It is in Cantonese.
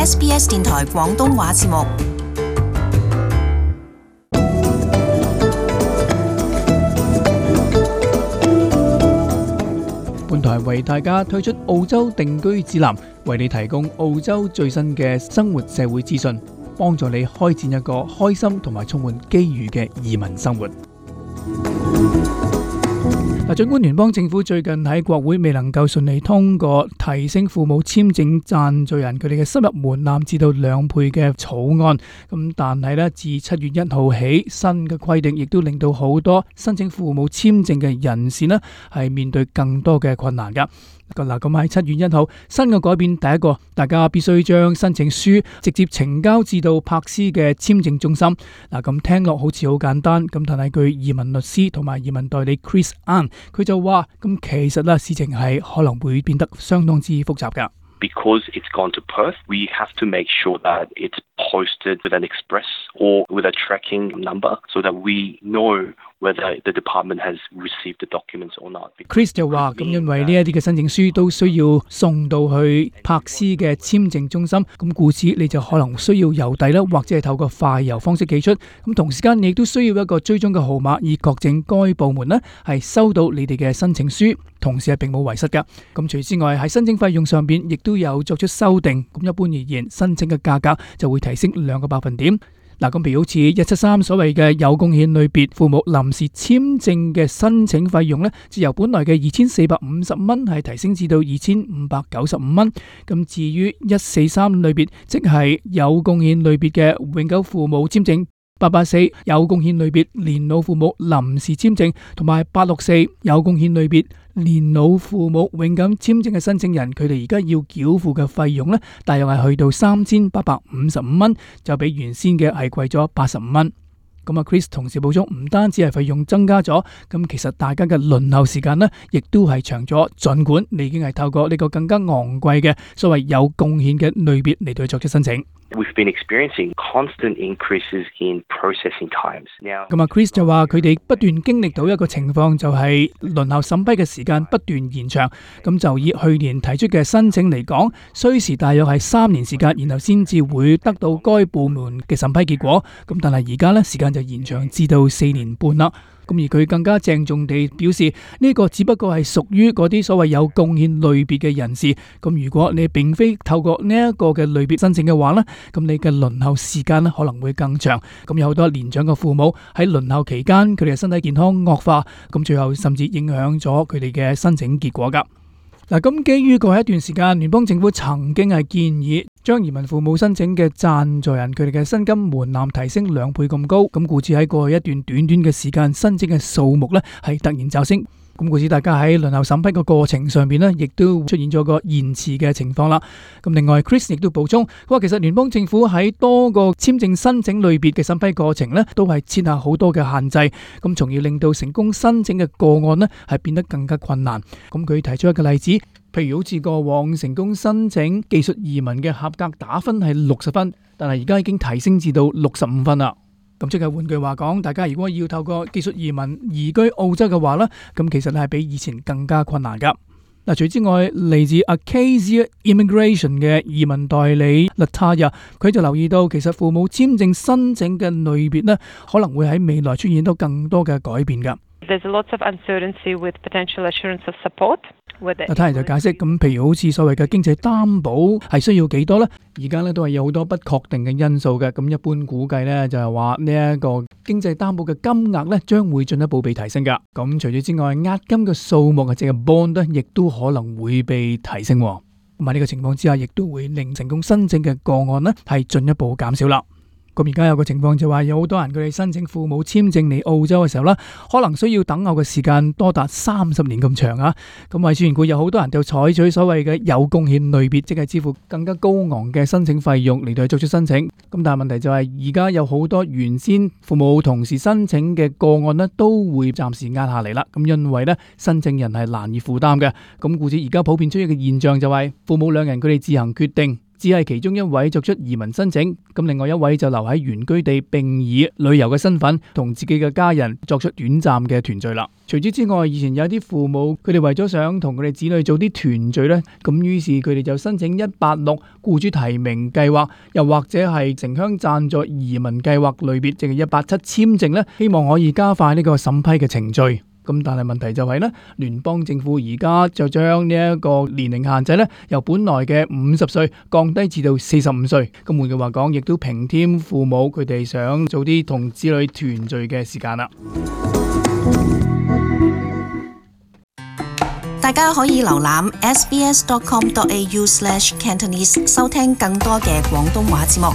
SBS 電台廣東話節目。本台為大家推出澳洲定居指南，為你提供澳洲最新嘅生活社會資訊，幫助你開展一個開心同埋充滿機遇嘅移民生活。儘管聯邦政府最近喺國會未能夠順利通過提升父母簽證贊助人佢哋嘅收入門檻至到2倍嘅草案，但係咧自7月1號起，新嘅規定亦都令到好多申請父母簽證嘅人士咧係面對更多嘅困難噶。嗱，咁喺7月1號，新嘅改變第一個，大家必須將申請書直接呈交至到柏斯嘅簽證中心。嗱，咁聽落好似好簡單，咁但係據移民律師同埋移民代理 Chris Ann， 佢就話，咁其實啦，事情係可能會變得相當之複雜噶。Because it's gone to Perth, we have to make sure that it's posted with an express or with a tracking number so that we know whether the department has received the documents or not. Chris 就話，咁因為呢一啲嘅申請書都需要送到去柏斯嘅簽證中心，咁故此你就可能需要郵遞啦，或者係透過快郵方式寄出。咁同時間你亦都需要一個追蹤嘅號碼，以確證該部門呢係收到你哋嘅申請書，同時係並冇遺失噶。咁除此之外，喺申請費用上邊亦都有作出修訂。咁一般而言，申請嘅價格就會提升2個百分點。嗱，咁譬如好似173所謂嘅有貢獻類別父母臨時簽證嘅申請費用呢，就由本來嘅2450蚊係提升至到2595蚊。咁至於143類別，即係有貢獻類別嘅永久父母簽證，884有貢獻類別年老父母臨時簽證，同埋864有貢獻類別年老父母永久簽證嘅申請人，佢哋而家要繳付嘅費用呢，大約係去到3855蚊，就比原先嘅係貴咗85蚊。咁啊 ，Chris 同時補充，唔單止係費用增加咗，咁其實大家嘅輪候時間呢，亦都係長咗。儘管你已經係透過呢個更加昂貴嘅所謂有貢獻嘅類別嚟到作出申請。We've been experiencing constant increases in processing times. Now， 咁啊 ，Chris 就話佢哋不斷經歷到一個情況，就係輪候審批嘅時間不斷延長。咁就以去年提出嘅申請嚟講，需時大約係3年時間，然後先至會得到該部門嘅審批結果。咁但係而家呢，時間就延長至到4年半啦。咁而佢更加鄭重地表示，呢個只不過係屬於嗰啲所謂有貢獻類別嘅人士。咁如果你並非透過呢一個嘅類別申請嘅話呢，咁你嘅輪候時間可能會更長。咁有好多年長嘅父母喺輪候期間，佢哋嘅身體健康惡化，咁最後甚至影響咗佢哋嘅申請結果噶。嗱，咁基於過去一段時間，聯邦政府曾經係建議將移民父母申請嘅贊助人佢哋嘅薪金門檻提升2倍咁高，咁故此喺過去一段短短嘅時間，申請嘅數目呢係突然驟升。咁故此大家喺輪候審批嘅過程上邊呢，亦都出現咗個延遲嘅情況啦。咁另外 Chris 亦都補充，佢話其實聯邦政府喺多個簽證申請類別嘅審批過程呢，都係設下好多嘅限制，咁從而令到成功申請嘅個案呢係變得更加困難。咁佢提出一個例子，譬如好似過往成功申請技術移民嘅合格打分係60分，但係而家已經提升至到65分啦。咁即係換句話講，大家如果要透過技術移民移居澳洲嘅話呢，咁其實係比以前更加困難噶。嗱，除此之外，嚟自 Acacia Immigration 嘅移民代理 Lataya， 佢就留意到，其實父母簽證申請嘅類別呢，可能會喺未來出現到更多嘅改變噶。There's lots of uncertainty with potential assurance of support. 他人就解釋，咁譬如好似所謂嘅經濟擔保係需要幾多呢？而家呢都係有好多不確定嘅因素嘅。咁一般估計呢，就係話呢一個經濟擔保嘅金額呢將會進一步被提升噶。咁除咗之外，押金嘅數目啊，即係 bond 呢，亦都可能會被提升。咁喺呢個情況之下，亦都會令成功申請嘅個案呢係進一步減少啦。咁而家有個情況就話，有好多人佢哋申請父母簽證嚟澳洲嘅時候呢，可能需要等候嘅時間多達30年咁長啊！咁為主緣故，有好多人就採取所謂嘅有貢獻類別，即係支付更加高昂嘅申請費用嚟到去作出申請。咁但係問題就係，而家有好多原先父母同時申請嘅個案呢，都會暫時壓下嚟啦。咁因為呢，申請人係難以負擔嘅。咁故此而家普遍出現嘅現象就係，父母兩人佢哋自行決定只係其中一位作出移民申請，咁另外一位就留喺原居地，並以旅遊嘅身份同自己嘅家人作出短暫嘅團聚啦。除此之外，以前有啲父母佢哋為咗想同佢哋子女做啲團聚呢，咁於是佢哋就申請186僱主提名計劃，又或者係城鄉贊助移民計劃類別，即係187簽證呢，希望可以加快呢個審批嘅程序。咁但係問題就係呢，聯邦政府而家就將呢一個年齡限制呢，由本來嘅50歲降低至到45歲。咁換句話講，亦都平添父母佢哋想早啲同子女團聚嘅時間啦。大家可以瀏覽 sbs.com.au/cantonese 收聽更多嘅廣東話節目。